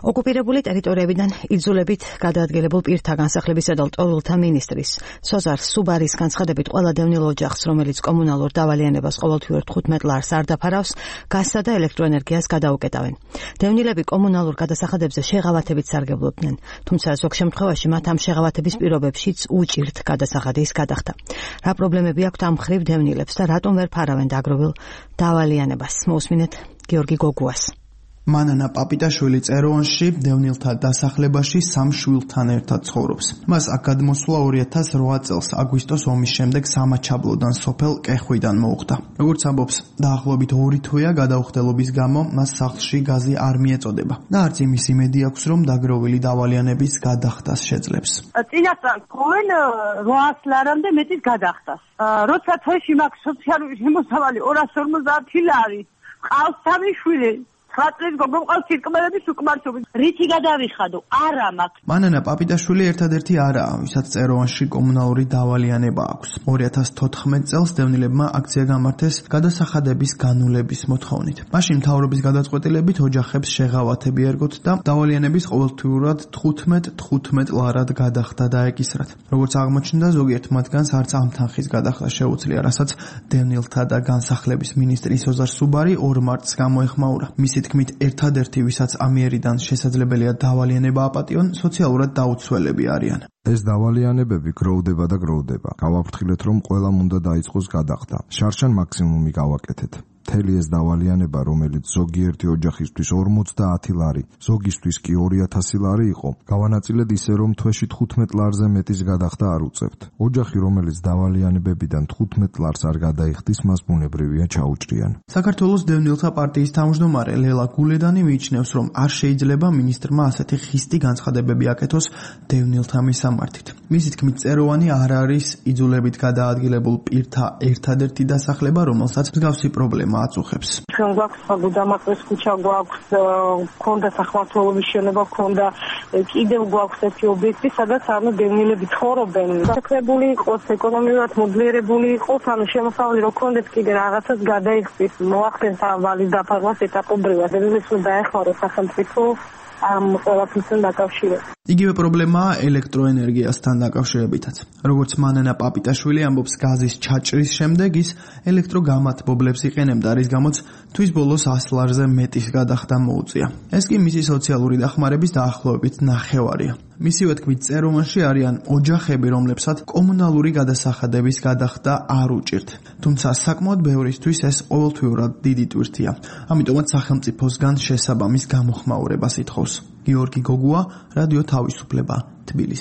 ოკუპირებული ტერიტორიებიდან იძულებით გადაადგილებულ პირთა განსახლებისა და ლტოლვილთა მინისტრის სოზარ სუბარის განცხადებით ყველა დევნილ ოჯახს, რომელიც კომუნალურ დავალიანებას ყოველთვიურ 15 ლარს არ დაფარავს, გაზსა და ელექტროენერგიას გადაუკეტავენ. დევნილები კომუნალურ გადასახადებზე შეღავათებით სარგებლობდნენ, თუმცა ზოგ შემთხვევაში მათ ამ შეღავათების პირობებშიც უჭირთ გადასახადის გადახდა. რა პრობლემები აქვთ ამ მხრივ დევნილებს და რატომ ვერ ფარავენ დაგროვილ დავალიანებას? მოусმინეთ გიორგი გოგუას. მანანა პაპიტაშვილი წეროვანში დევნილთა დასახლებაში 3 შვილთან ერთად ცხოვრობს. მას აქ გადმოსვლა 2008 წელს აგვისტოს ომის შემდეგ სამაჩაბლოდან სოფელ კეხვიდან მოუხდა. როგორც ამბობს, დაახლოებით 2 თვეა გადაუხდელობის გამო მას სახლში გაზი არ მიეწოდება და არც იმის იმედი აქვს, რომ დაგროვილი დავალიანების გადახდას შეძლებს. წინასწარ თქვენ 800 ლარამდე მეტის გადახდას. როცა თვეში მაქვს სოციალური შემოსავალი 250 ლარი, ყავს 3 შვილი. ხატრის გოგოყავს სირკმელების უკმარცობის. რითი გადავიხადო? არა მაქვს. მანანა პაპიტაშვილი ერთადერთი არაა, ვისაც წეროვანში კომუნალური დავალიანება აქვს. 2014 წელს დევნილებმა აქცია გამართეს გადასახადების განულების მოთხოვნით. მაშინ მთავრობის გადაწყვეტილებით ოჯახებს შეღავათები ერგოთ და დავალიანების ყოველთვიურად 15 ლარად გადახდა დაეკისრათ. როგორც აღმოჩნდა, ზოგიერთ მათგანს არც ამ თანხის გადახდა შეუძლია, რასაც დევნილთა და განსახლების მინისტრი სოზარ სუბარი 2 მარტს გამოეხმაურა. მისი თქმით, ერთადერთი, ვისაც ამიერიდან შესაძლებელია დავალიანება აპატიონ, სოციალურად დაუცველები არიან. ეს დავალიანებები გროვდება და გროვდება. გავაფრთხილეთ, რომ ყველამ უნდა დაიწყოს გადახდა. შარშან მაქსიმუმი გავაკეთეთ. მთელი ეს დავალიანება, რომელიც ზოგიერთი ოჯახისთვის 50 ლარი, ზოგისთვის კი 2000 ლარი იყო, გავანაწილეთ ისე, რომ თვეში 15 ლარზე მეტის გადახდა არ უწევთ. ოჯახი, რომელიც დავალიანებებიდან 15 ლარს არ გადაიხდის, მას ბუნებრივია ჩაუჭრიან. საქართველოს დევნილთა პარტიის თავმჯდომარე ლელა გულედანი მიიჩნევს, რომ არ შეიძლება მინისტრმა ასეთი ხისტი განცხადებები აკეთოს დევნილთა მისამართით. მისი თქმით, წეროვანი არ არის იძულებით გადაადგილებულ პირთა ერთადერთი დასახლება, რომელსაც მსგავსი პრობლემა აწუხებს. ჩვენ გვაქვს გუდამაყრის ქუჩა, გვაქვს ქონდა სახმართველობის შენობა, ქონდა კიდევ გვაქვს ერთი ობიექტი, სადაც დევნილები ცხოვრობენ. შექმნებული იყოს, ეკონომიურად მოძლიერებული იყოს, შემოსავალი რო ქონდეს კიდე რაღაცას გადაიხსის, მოახდენს ვალის დაფარვას ეტაპობრივად. დევნილებს უნდა დაეხმაროს სახელმწიფო ამ ყველაფერთან დაკავშირებით. იგივე პრობლემაა ელექტროენერგიასთან დაკავშირებითაც. როგორც მანანა პაპიტაშვილი ამბობს, გაზის ჩაჭრის შემდეგ ის ელექტროგამათბობლებს იყენებდა, რის გამოც თვის ბოლოს 100 ლარზე მეტის გადახდა მოუწია. ეს კი მისი სოციალური დახმარების დაახლოებით ნახევარია. მისივე თქმით, წეროვანში არიან ოჯახები, რომლებსაც კომუნალური გადასახადების გადახდა არ უჭირთ. თუმცა საკმაოდ ბევრისთვის ეს ყოველთვიურად დიდი ტვირთია. ამიტომაც სახელმწიფოსგან შესაბამის გამოხმაურებას ითხოვს. გიორგი გოგუა, რადიო თავისუფლება, თბილისი.